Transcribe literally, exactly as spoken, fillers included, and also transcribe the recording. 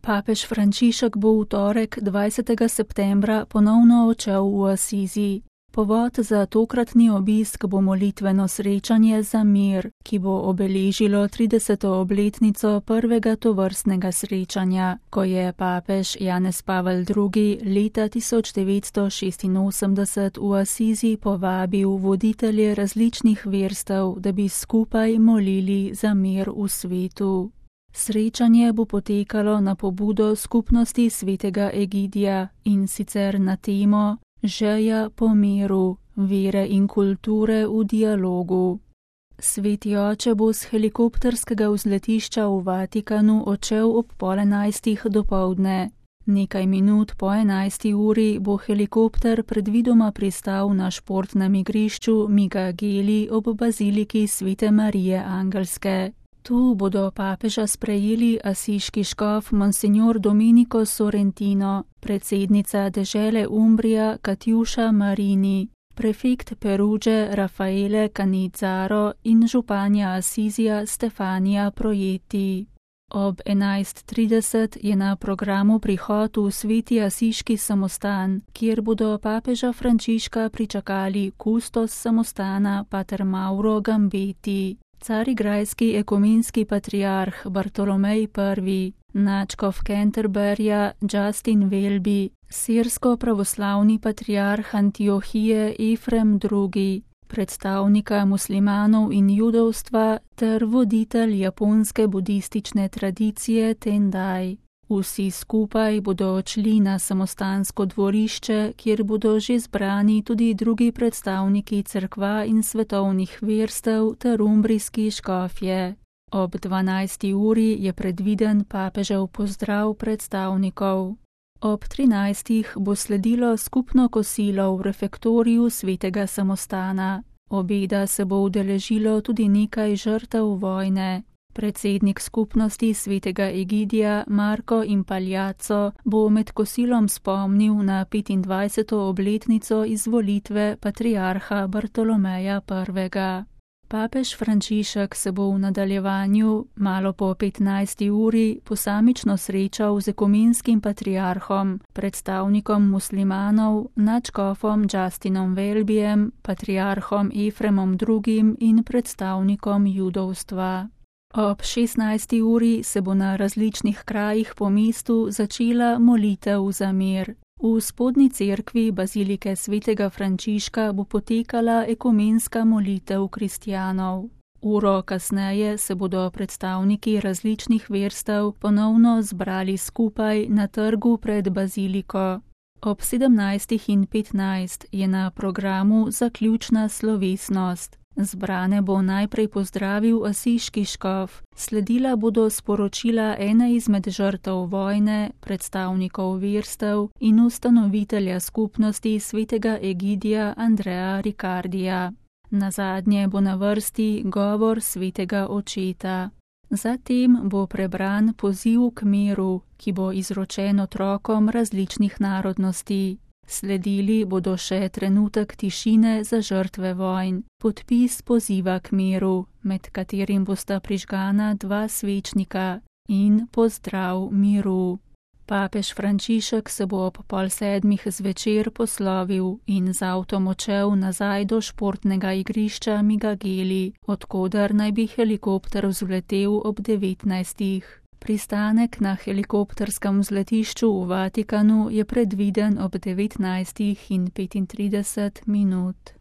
Papež Frančišek bo v torek dvajsetega septembra ponovno odšel v Asizi. Povod za tokratni obisk bo molitveno srečanje za mir, ki bo obeležilo trideseto obletnico prvega tovrstnega srečanja, ko je papež Janez Pavel drugi. leta tisoč devetsto šestinosemdeset v Asizi povabil voditelje različnih verstev, da bi skupaj molili za mir v svetu. Srečanje bo potekalo na pobudo skupnosti svetega Egidija in sicer na temo Želja po miru, vere in kulture v dialogu. Sveti oče bo z helikopterskega vzletišča v Vatikanu odšel ob pol enajstih dopoldne. Nekaj minut po enajsti uri bo helikopter predvidoma pristal na športnem igrišču Migageli ob baziliki Svete Marije Angelske. Tu bodo papeža sprejeli asiški škof Monsignor Domenico Sorrentino, predsednica dežele Umbrija Katjuša Marini, prefekt Perudže Raffaele Canizzaro in županja Asizija Stefanija Projeti. Ob enajst trideset je na programu prihod v sveti asiški samostan, kjer bodo papeža Frančiška pričakali kustos samostana pater Mauro Gambeti, carigrajski ekumenski patriarh Bartolomej prvi, nadškof Canterburyja Justin Welby, sirsko-pravoslavni patriarh Antiohije Efrem drugi, predstavnika muslimanov in judovstva ter voditelj japonske budistične tradicije Tendai. Vsi skupaj bodo odšli na samostansko dvorišče, kjer bodo že zbrani tudi drugi predstavniki cerkva in svetovnih verstev ter umbrijski škofje. Ob dvanajsti uri je predviden papežev pozdrav predstavnikov. Ob trinajstih bo sledilo skupno kosilo v refektoriju svetega samostana. Obeda se bo udeležilo tudi nekaj žrtev vojne. Predsednik skupnosti svetega Egidija Marko Impagliazzo bo med kosilom spomnil na petindvajseto obletnico izvolitve patriarha Bartolomeja prvega. Papež Frančišek se bo v nadaljevanju, malo po petnajsti uri, posamično srečal z ekumenskim patriarhom, predstavnikom muslimanov, nadškofom Justinom Welbyjem, patriarhom Efremom drugim in predstavnikom judovstva. Ob šestnajsti uri se bo na različnih krajih po mestu začela molitev za mir. V spodnji cerkvi bazilike svetega Frančiška bo potekala ekumenska molitev kristjanov. Uro kasneje se bodo predstavniki različnih verstev ponovno zbrali skupaj na trgu pred baziliko. Ob sedemnajstih in petnajst je na programu zaključna slovesnost. Zbrane bo najprej pozdravil asiški škof, sledila bodo sporočila ene izmed žrtev vojne, predstavnikov verstev in ustanovitelja skupnosti svetega Egidija Andreja Ricardija. Nazadnje bo na vrsti govor svetega očeta. Zatem bo prebran poziv k miru, ki bo izročen otrokom različnih narodnosti. Sledili bodo še trenutek tišine za žrtve vojn, podpis poziva k miru, med katerim bosta prižgana dva svečnika, in pozdrav miru. Papež Frančišek se bo ob pol sedmih zvečer poslovil in z avtom odšel nazaj do športnega igrišča Migageli, odkoder naj bi helikopter vzletel ob devetnajstih. Pristanek na helikopterskem vzletišču v Vatikanu je predviden ob devetnajstih in petintrideset minut.